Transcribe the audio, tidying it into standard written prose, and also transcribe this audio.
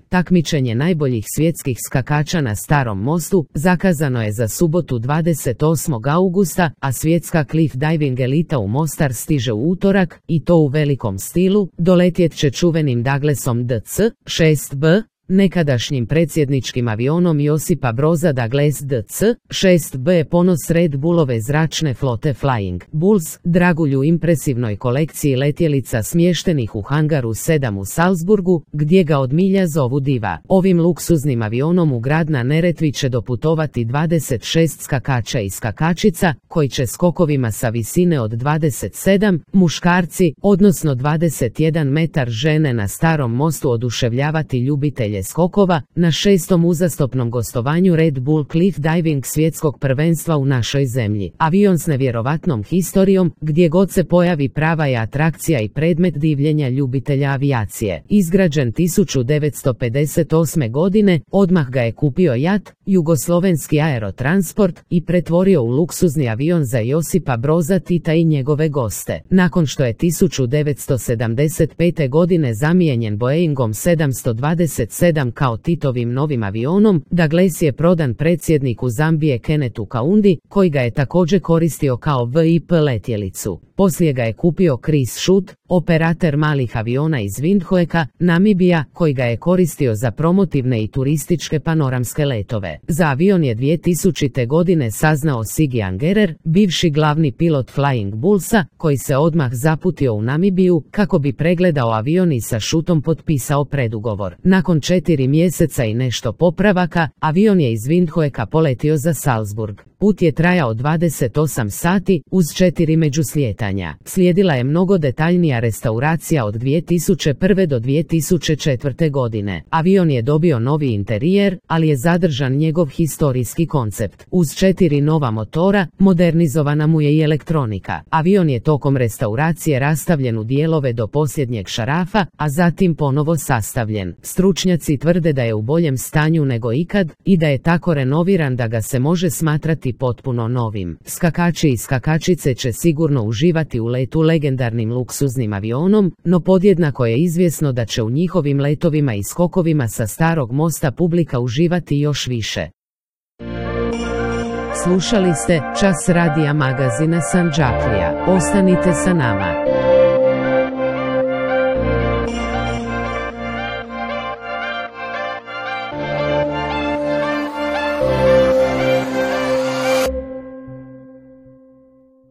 Takmičenje najboljih svjetskih skakača na Starom mostu zakazano je za subotu 28. augusta, a svjetska cliff diving elita u Mostar stiže u utorak, i to u velikom stilu. Doletjet će čuvenim Douglasom DC-6B, nekadašnjim predsjedničkim avionom Josipa Broza. Douglas DC-6B je ponos Red Bullove zračne flote Flying Bulls, dragulju impresivnoj kolekciji letjelica smještenih u hangaru 7 u Salzburgu, gdje ga od milja zovu diva. Ovim luksuznim avionom u grad na Neretvi će doputovati 26 skakača i skakačica, koji će skokovima sa visine od 27 muškarci, odnosno 21 metar žene na Starom mostu oduševljavati ljubitelje skokova na 6. uzastopnom gostovanju Red Bull Cliff Diving svjetskog prvenstva u našoj zemlji. Avion s nevjerovatnom historijom, gdje god se pojavi prava je atrakcija i predmet divljenja ljubitelja avijacije. Izgrađen 1958. godine, odmah ga je kupio JAT, Jugoslovenski aerotransport, i pretvorio u luksuzni avion za Josipa Broza Tita i njegove goste. Nakon što je 1975. godine zamijenjen Boeingom 727 kao Titovim novim avionom, Douglas je prodan predsjedniku Zambije Kennethu Kaundi, koji ga je također koristio kao VIP letjelicu. Poslije ga je kupio Chris Schutt, operater malih aviona iz Windhoeka, Namibija, koji ga je koristio za promotivne i turističke panoramske letove. Za avion je 2000. godine saznao Siggy Angerer, bivši glavni pilot Flying Bullsa, koji se odmah zaputio u Namibiju kako bi pregledao avion i sa Schuttom potpisao predugovor. Nakon 4 mjeseca i nešto popravaka, avion je iz Windhoeka poletio za Salzburg. Put je trajao 28 sati, uz 4 međuslijetanja. Slijedila je mnogo detaljnija restauracija od 2001. do 2004. godine. Avion je dobio novi interijer, ali je zadržan njegov historijski koncept. Uz 4 nova motora, modernizovana mu je i elektronika. Avion je tokom restauracije rastavljen u dijelove do posljednjeg šarafa, a zatim ponovo sastavljen. Stručnjaci tvrde da je u boljem stanju nego ikad i da je tako renoviran da ga se može smatrati potpuno novim. Skakači i skakačice će sigurno uživati u letu legendarnim luksuznim avionom, no podjednako je izvjesno da će u njihovim letovima i skokovima sa Starog mosta publika uživati još više. Slušali ste Čas radija magazina Sandžaklija. Ostanite sa nama.